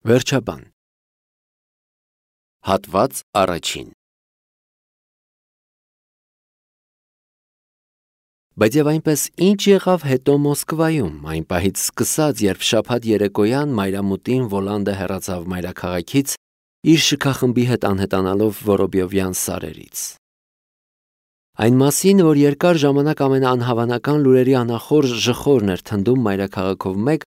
Վերջաբան Հատված առաջին Բայց եւ այնպես ինչ եղավ հետո Մոսկվայում, այն պահից սկսած, երբ շաբաթ երեկոյան մայրամուտին Վոլանդը հեռացավ մայրաքաղաքից, իր շքախմբի հետ անհետանալով Որոբյովյան սարերից։ Այն մասին, որ երկար ժամանակ ամենաանհավանական լուրերի անախորժ ժխորն էր թնդում մայրաքաղաքով մեկ,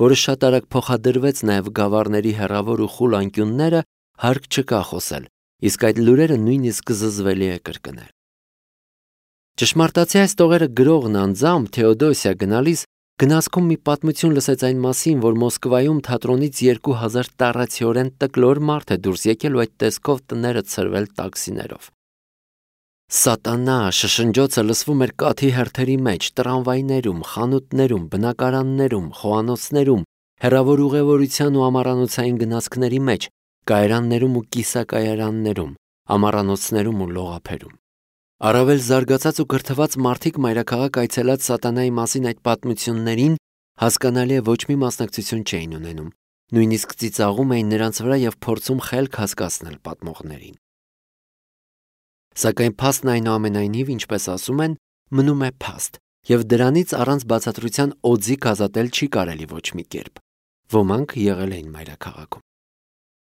որը շատ արագ փոխադրվեց նաև գավառների հեռավոր ու խուլ անկյունները, հարկ չկա խոսել, իսկ այդ լուրերը նույնիսկ զզվելի է կրկնել։ Ճշմարտացի այս տողերը գրողն անձամբ Թեոդոսիա գնալիս գնացքում մի պատմություն լսեց այն մասին, որ Մոսկվայում թատրոնից 2000 տառացիորեն տկլոր մարդ է դուրս եկել ու այդ տեսքով տները ցրվել տաքսիներով։ Սատանա շշնջոցը լսվում էր կաթի հերթերի մեջ, տրամվայներում, խանութներում, բնակարաններում, խոհանոցներում, հեռավոր ուղևորության ու ամառանոցային գնացքների մեջ, կայարաններում ու կիսակայարաններում, ամառանոցներում ու լողափերում։ Առավել զարգացած ու կրթված մարդիկ մայրաքաղաք այցելած սատանայի մասին այդ պատմություններին հասկանալի է ոչ մի մասնակցություն չէին ունենում, նույնիսկ ծիծաղում էին նրանց վրա և փորձում խելք հասկացնել պատմողներին։ Սակայն փաստն այնուամենայնիվ, ինչպես ասում են, մնում է փաստ, և դրանից առանց բացատրության օձիք ազատել չի կարելի ոչ մի կերպ։ Ոմանք եղել էին մայրաքաղաքում։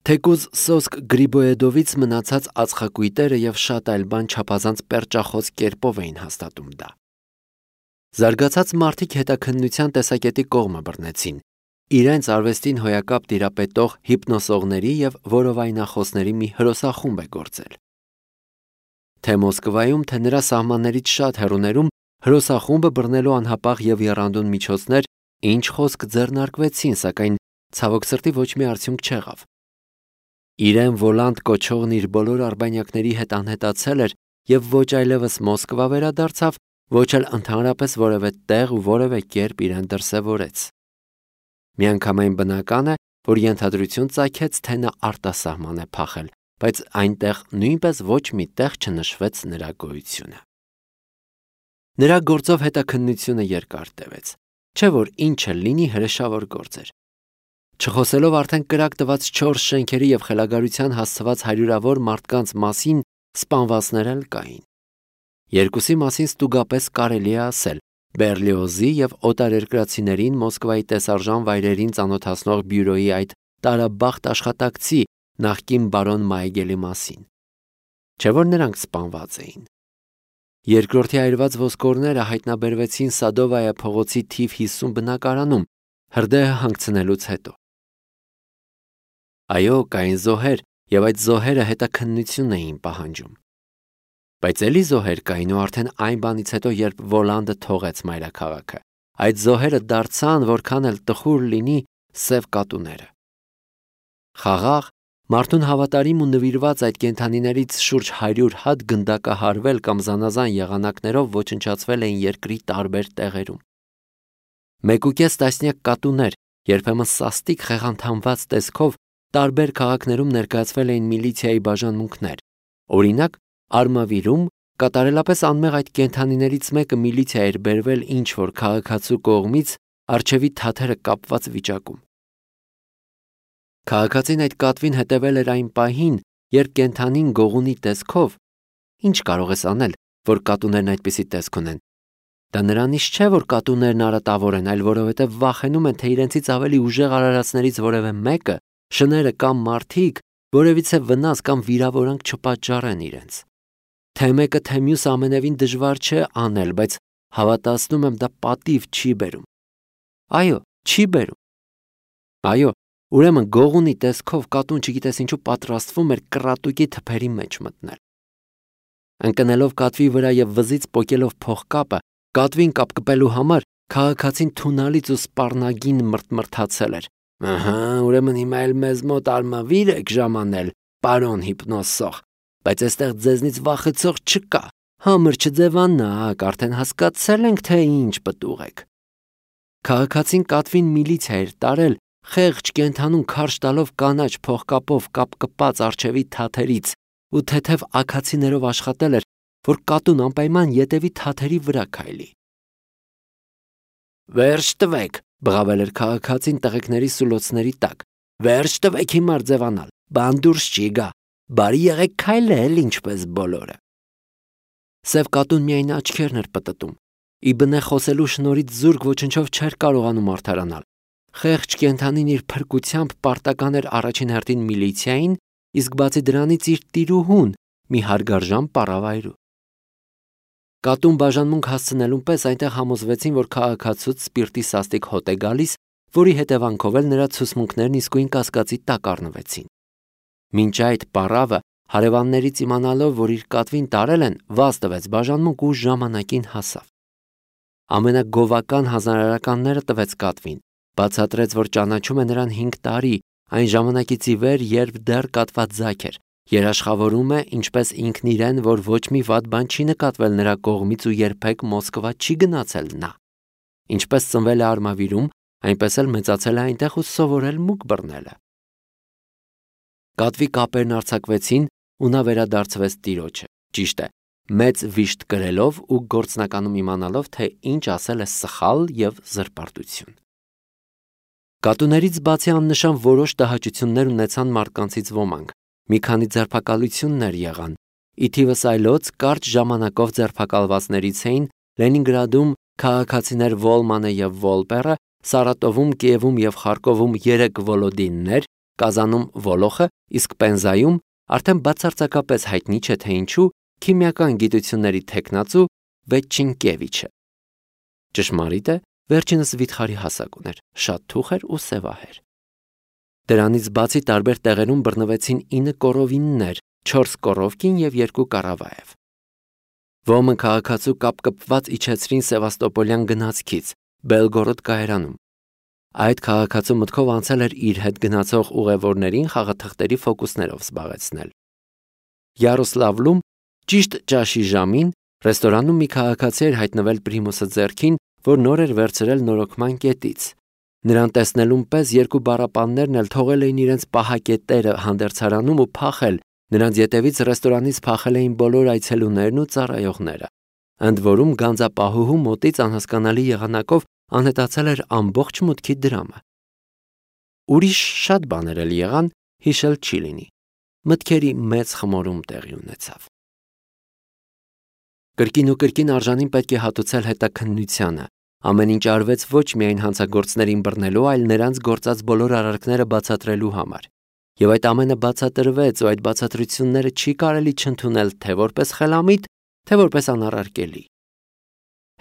Թեկուզ Սոսկ Գրիբոեդովից մնացած ածխակույտերը և շատ այլ բան չափազանց պերճախոս կերպով էին հաստատում դա։ Զարգացած մարդիկ հետաքննության տեսակետի կողմը բռնեցին, իրենց արվեստին հոյակապ տիրապետող հիպնոսողների և որովայնախոսների մի հրոսախումբ է գործել։ Թե Մոսկվայում, թե նրա սահմաններից շատ հեռուներում հրոսախումբը բռնելու անհապաղ և եռանդուն միջոցներ ինչ խոսք ձեռնարկվեցին, սակայն ցավոք սրտի ոչ մի արդյունք չեղավ։ Իրեն Վոլանդ կոչողն իր բոլոր արբանյակների հետ անհետացել էր և ոչ այլևս Մոսկվա վերադարձավ, ոչ էլ ընդհանրապես որևէ տեղ ու որևէ կերպ իրեն դրսևորեց։ Միանգամայն բնական է, որ ենթադրություն ծագեց, թե նա արտասահման է փախել, բայց այնտեղ նույնպես ոչ մի տեղ չնշվեց նրա գոյությունը։ Նրա գործով հետաքննությունը երկար տևեց, չէ որ ինչը լինի հրեշավոր գործ էր։ Չխոսելով արդեն կրակ տված 4 շենքերի և խելագարության հասցված հարյուրավոր մարդկանց մասին սպանվածներ էլ կային։ Երկուսի մասին ստուգապես կարելի է ասել Բերլիոզի և օտարերկրացիներին Մոսկվայի տեսարժան վայրերին ծանոթացնող բյուրոյի այդ տարաբախտ աշխատակցի նախկին բարոն Մայգելի մասին։ Չէ որ նրանք սպանված էին։ Երկրորդի այրված ոսկորները հայտնաբերվեցին Սադովայա փողոցի թիվ 50 բնակարանում, հրդեհը հանգցնելուց հետո։ Այո, կային զոհեր, և այդ զոհերը հետաքննություն էին պահանջում։ Բայց էլի զոհեր կային ու արդեն այն բանից հետո, երբ Վոլանդը թողեց մայրաքաղաքը, այդ զոհերը դարձան, որքան էլ տխուր լինի, սև կատուները։ Խաղաղ, մարդուն հավատարիմ ու նվիրված այդ կենդանիներից շուրջ 100 հատ գնդակահարվել կամ զանազան եղանակներով ոչնչացվել էին երկրի տարբեր տեղերում։ 1.5 տասնյակ կատուներ, երբեմն սաստիկ խեղանդամված տեսքով, տարբեր քաղաքներում ներկայացվել էին միլիցիայի բաժանմունքներ։ Օրինակ, Արմավիրում կատարելապես անմեղ այդ կենդանիներից մեկը միլիցիա էր բերվել ինչ-որ քաղաքացու կողմից առջևի թաթերը կապված վիճակում։ Քաղաքացին այդ կատվին հետևել էր այն պահին, երբ կենդանին գողունի տեսքով, ինչ կարող ես անել, որ կատուներն այդպիսի տեսք ունեն։ Դա նրանից չէ, որ կատուներն արատավոր են, այլ որովհետև վախենում են, թե իրենցից ավելի ուժեղ արարածներից որևէ մեկը, շները կամ մարդիկ, որևիցե վնաս կամ վիրավորանք չպատճառեն իրենց։ Թե մեկը, թե մյուսը ամենևին դժվար չէ անել, բայց հավատացնում եմ, դա պատիվ չի բերում։ Այո, չի բերում։ Այո, ուրեմն գողունի տեսքով կատուն չգիտես ինչու պատրաստվում էր կռատուկի թփերի մեջ մտնել։ Ընկնելով կատվի վրա և վզից պոկելով փողկապը, կատվին կապկպելու համար քաղաքացին թունալից ու սպառնագին մրթմրթացել էր։ Ահա, ուրեմն հիմա էլ մեզ մոտ Արմավիր եք ժամանել, պարոն հիպնոսող, բայց այստեղ ձեզնից վախեցող չկա, համր չձևանաք, արդեն հասկացել ենք, թե ինչ պտուղ եք։ Քաղաքացին կատվին միլիցիա էր տարել, խեղճ կենդանուն քարշ տալով կանաչ փողկապով կապկպած առջևի թաթերից ու թեթև աքացիներով աշխատել էր, որ կատուն անպայման ետևի թաթերի վրա քայլի։ Վերջ տվեք, բղավել էր քաղաքացին տղեկների սուլոցների տակ, Վերջ տվեք հիմար ձևանալ, բան դուրս չի գա, բարի եղեք քայլել ինչպես բոլորը։ Սև կատուն միայն աչքերն էր պտտում, ի բնե խոսելու շնորհիվ զուրկ ոչնչով չէր կարողանում արդարանալ։ Խեղճ կենդանին իր փրկությամբ պարտական էր առաջին հերթին միլիցիային, իսկ բացի դրանից իր տիրուհուն մի հարգարժան պարավայրու։ Կատուն բաժանմունք հասցնելուն պես այնտեղ համոզվեցին, որ քաղաքացուց սպիրտի սաստիկ հոտ է գալիս, որի հետևանքով էլ նրա ցուսմունքներն իսկույն կասկածի տակ առնվեցին։ Մինչ այդ պարավը, հարևաններից իմանալով, որ իր կատվին տարել են, վազ տվեց բաժանմունք ու ժամանակին հասավ։ Ամենագովական հանրարարականները տվեց կատվին, բացատրեց, որ ճանաչում է նրան 5 տարի, այն ժամանակից ի վեր, երբ դեռ կատված ձագ էր, երաշխավորում է ինչպես ինքն իրեն, որ ոչ մի վատ բան չի նկատվել նրա կողմից ու երբեք Մոսկվա չի գնացել նա։ Ինչպես ծնվել է Արմավիրում, այնպես էլ մեծացել է այնտեղ ու սովորել մուկ բռնելը։ Կատվի կապերն արձակվեցին ու նա վերադարձվեց տիրոջը, ճիշտ է, մեծ վիշտ կրելով ու գործնականում իմանալով, թե ինչ ասել է սխալ եւ զրպարտություն։ Կատուներից բացի աննշան որոշ տհաճություններ ունեցան մարդկանցից ոմանք, մի քանի ձերբակալություններ եղան, ի թիվս այլոց կարճ ժամանակով ձերբակալվածներից էին Լենինգրադում քաղաքացիներ Վոլմանը եւ Վոլպերը, Սարատովում, Կիևում եւ Խարկովում 3 Վոլոդիններ, Կազանում Վոլոխը, իսկ Պենզայում արդեն բացարձակապես հայտնի չէ թե ինչու քիմիական գիտությունների թեկնածու Վեչինկևիչը։ Ճշմարիտ է, վերջինս վիթխարի հասակ ուներ, շատ թուխ էր ու սևահեր։ Դրանից բացի տարբեր տեղերում բռնվեցին 9 կորովիններ, 4 կորովկին եւ 2 կարավաև։ Ոմը քաղաքացու կապկպված իջեցրին Սևաստոպոլյան գնացքից, Բելգորոդ կայարանում։ Այդ քաղաքացու մտքով անցել էր իր հետ գնացող ուղևորներին խաղաթղթերի ֆոկուսներով զբաղեցնել։ Յարոսլավլում ճիշտ ճաշի ժամին ռեստորանում մի քաղաքացի էր հայտնվել Պրիմուսը ձեռքին, որ նոր էր վերցրել նորոգման կետից։ Նրան տեսնելուն պես 2 բառապաններն էլ թողել էին իրենց պահակետերը հանդերձարանում ու փախել, նրանց ետևից ռեստորանից փախել էին բոլոր այցելուներն ու ծառայողները։ Ընդ որում գանձապահուհու մոտից անհասկանալի եղանակով անհետացել էր ամբողջ մուտքի դրամը։ Ուրիշ շատ բաներ էլ եղան, հիշել չի լինի։ Մտքերի մեծ խմորում տեղի ունեցավ։ Կրկին ու կրկին արժանին պետք է հատուցել հետաքննությանը։ Ամեն ինչ արվեց ոչ միայն հանցագործներին բռնելու, այլ նրանց գործած բոլոր արարքները բացատրելու համար։ Եվ այդ ամենը բացատրվեց, ու այդ բացատրությունները չի կարելի չընդունել թե որպես խելամիտ, թե որպես անառարկելի։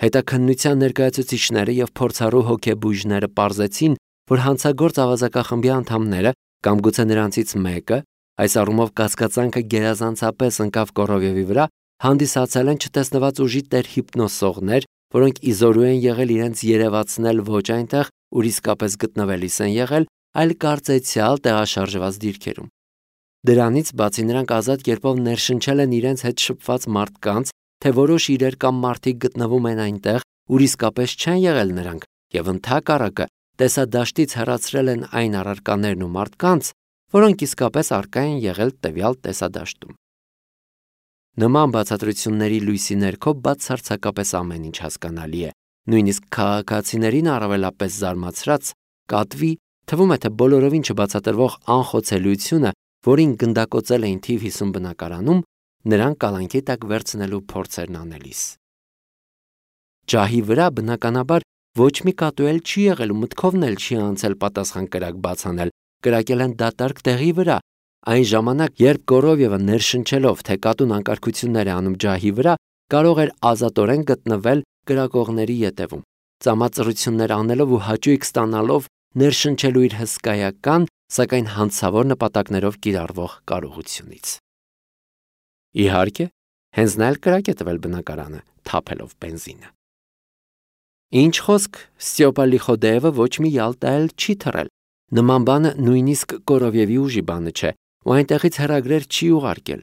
Հետաքննության ներկայացուցիչները եւ փորձառու հոգեբույժները պարզեցին, որ հանցագործ ավազակախմբի անդամները կամ գուցե նրանցից մեկը, այս առումով կասկածանքը գերազանցապես ընկավ Կորովևի վրա, հանդիսացել են չտեսնված ուժի տեր հիպնոսողներ, որոնք իզորու են եղել իրենց երևացնել ոչ այնտեղ, ուր իսկապես գտնվելիս են եղել, այլ կարծեցյալ տեղաշարժված դիրքերում։ Դրանից բացի նրանք ազատ կերպով ներշնչել են իրենց հետ շփված մարդկանց, թե որոշ իրեր կամ մարդիկ գտնվում են այնտեղ, ուր իսկապես չեն եղել նրանք, եւ ընդհակառակը տեսադաշտից հեռացրել են այն առարկաներն ու մարդկանց, որոնք իսկապես առկա են եղել տվյալ տեսադաշտում։ Նման բացատրությունների լույսի ներքո բացարձակապես ամեն ինչ հասկանալի է, նույնիսկ քաղաքացիներին առավելապես զարմացրած կատվի, թվում է թե բոլորովին չբացատրվող անխոցելիությունը, որին գնդակոծել էին թիվ 50 բնակարանում, նրան կալանքի տակ վերցնելու փորձերն անելիս։ Ջահի վրա բնականաբար ոչ մի կատու էլ չի եղել ու մտքովն էլ չի անցել պատասխան կրակ բացանել, կրակել են դատարկ տեղի վրա, այն ժամանակ, երբ Կորովևը ներշնչելով, թե կատուն անկարգություններ է անում ջահի վրա, կարող էր ազատորեն գտնվել կրակողների ետևում, ծամածռություններ անելով ու հաճույք ստանալով ներշնչելու իր հսկայական, սակայն հանցավոր նպատակներով կիրառվող կարողությունից։ Իհարկե, հենց նա էլ կրակ է տվել բնակարանը, թափելով բենզինը։ Ինչ խոսք, Ստյոպա Լիխոդեևը ոչ մի Յալտա էլ չի թռել։ Նման բանը նույնիսկ Կորովևի ուժի բանը չէ, ու այնտեղից հեռագրեր չի ուղարկել։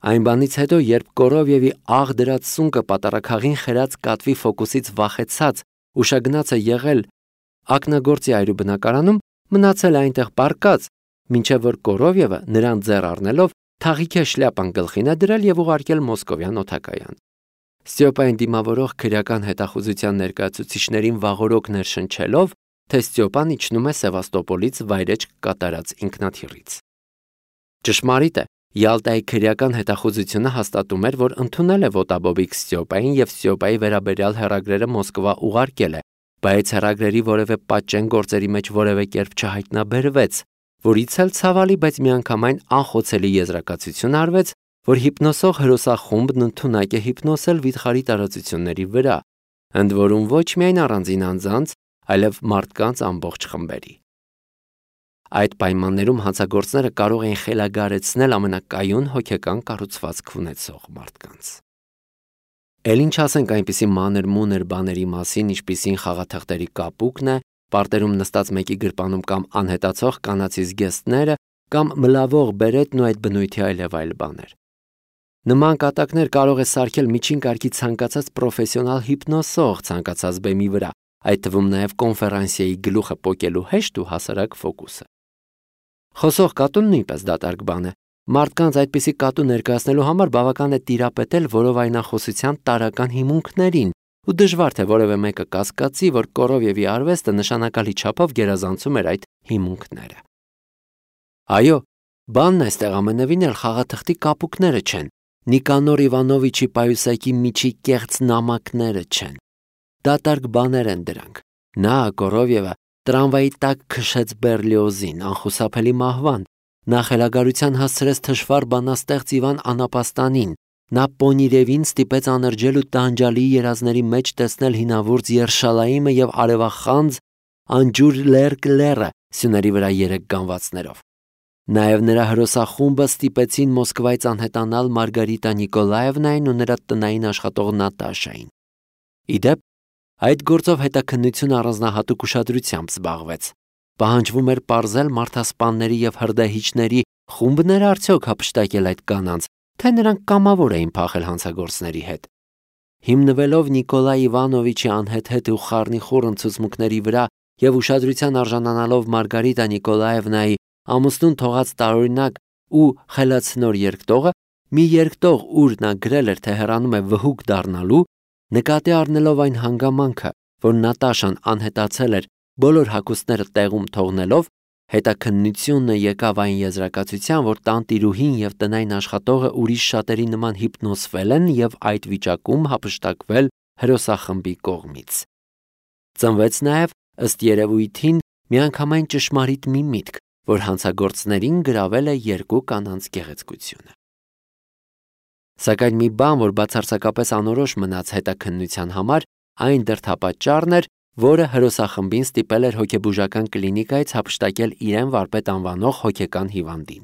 Այն բանից հետո, երբ Կորովևի աղ դրած սունկը պատարակաղին խերած կատվի ֆոկուսից վախեցած ուշագնաց է եղել ակնագործի այրու բնակարանում, մնացել է այնտեղ պառկած, մինչև որ Կորովևը նրան ձեռ առնելով թաղիքե շլյապան գլխին է դրել եւ ուղարկել Մոսկովյան օդակայան։ Ստյոպային դիմավորող քրեական հետախուզության ներկայացուցիչներին վաղօրոք ներշնչելով, թե Ստյոպան իջնում է Սևաստոպոլից վայրեջք կատարած ինքնաթիռից։ Ճշմարիտ է, Յալտայի քրեական հետախուզությունը հաստատում էր, որ ընդունել է ոտաբոբիկ Ստյոպային և Ստյոպայի վերաբերյալ հեռագրերը Մոսկվա ուղարկել է, բայց հեռագրերի որևէ պատճեն գործերի մեջ որևէ կերպ չհայտնաբերվեց, որից էլ ցավալի, բայց միանգամայն անխոցելի եզրակացություն արվեց, որ հիպնոսող հրոսախումբն ընդունակ է հիպնոսել վիթխարի տարածությունների վրա, ընդ որում ոչ միայն առանձին անձանց, այլև մարդկանց ամբողջ խմբերի։ Այդ պայմաններում հանցագործները կարող էին խելագարեցնել ամենակայուն հոգեկան կառուցվածք ունեցող մարդկանց։ Էլ ինչ ասենք այնպիսի մանր-մունր բաների մասին, ինչպիսին խաղաթղթերի կապուկն է, պարտերում նստած մեկի գրպանում կամ անհետացող կանացի զգեստները, կամ մլավող բերետն ու այդ բնույթի այլ բաներ։ Նման կատակներ կարող է սարքել միջին կարգի ցանկացած պրոֆեսիոնալ հիպնոսող ցանկացած բեմի վրա, այդ թվում նաև կոնֆերանսիայի գլուխը պոկելու հեշտ ու հասարակ ֆոկուսը։ Խոսող կատուն նույնպես դատարկ բան է։ Մարդկանց այդպիսի կատու ներկայացնելու համար բավական է տիրապետել որովայնախոսության տարրական հիմունքներին, ու դժվար թե որևէ մեկը կասկածի, որ Կորովևի արվեստը նշանակալի չափով գերազանցում էր այդ հիմունքները։ Այո, բանն այստեղ ամենևին էլ խաղաթղթի կապուկները չեն, Նիկանոր Իվանովիչի պայուսակի միջի կեղծ նամակները չեն։ Դատարկ բաներ են դրանք։ Նա, Կորովևը, տրամվայի տակ քշեց Բերլիոզին, անխուսափելի մահվան, նա խելագարության հասցրեց թշվառ բանաստեղծ Իվան Անապաստանին, նա Պոնիրևին ստիպեց անրջել ու տանջալի երազների մեջ տեսնել հինավուրց Երշալայիմը և արևախանձ անջուր լեռը սյուների վրա 3 գանվածներով։ Նաև նրա հրոսախումբը ստիպեցին Մոսկվայից անհետանալ Մարգարիտա Նիկոլաևնային ու նրա տնային աշխատող Նատաշային։ Իդեպ, այդ գործով հետաքննությունը առանձնահատուկ ուշադրությամբ զբաղվեց։ Պահանջվում էր պարզել մարդասպանների և հրդեհիչների խումբն էր արդյոք հափշտակել այդ կանանց, թե նրանք կամավոր էին փախել հանցագործների հետ։ Հիմնվելով Նիկոլայ Իվանովիչի անհեթեթ ու խառնիխուռն ցուցմունքների վրա և ուշադրության արժանանալով Մարգարիտա Նիկոլաևնայի ամուսնուն թողած տարօրինակ ու խելացնոր երկտողը, մի երկտող, ուր նա գրել էր, թե հեռանում է վհուկ դառնալու, նկատի առնելով այն հանգամանքը, որ Նատաշան անհետացել էր բոլոր հագուստները տեղում թողնելով, հետաքննությունը եկավ այն եզրակացության, որ տանտիրուհին և տնային աշխատողը ուրիշ շատերի նման հիպնոսվել են և այդ վիճակում հափշտակվել հրոսախմբի կողմից։ Ծնվեց նաև, ըստ երևույթին, միանգամայն ճշմարիտ մի միտք, որ հանցագործներին գրավել է 2 կանանց գեղեցկությունը։ Սակայն մի բան, որ բացարձակապես անորոշ մնաց հետաքննության համար, այն դրդապատճառն էր, որը հրոսախմբին ստիպել էր հոգեբուժական կլինիկայից հափշտակել իրեն վարպետ անվանող հոգեկան հիվանդին։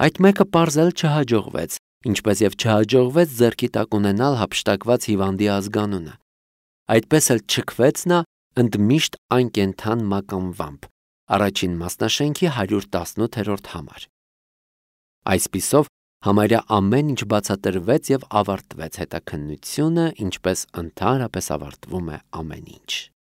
Այդ մեկը պարզել չհաջողվեց, ինչպես և չհաջողվեց ձեռքի տակ ունենալ հափշտակված հիվանդի ազգանունը։ Այդպես էլ չքվեց նա ընդմիշտ անկենդան մականվամբ, առաջին մասնաշենքի 118-րդ համար։ Այսպիսով, համարյա ամեն ինչ բացատրվեց և ավարտվեց հետաքննությունը, ինչպես ընդհանրապես ավարտվում է ամեն ինչ։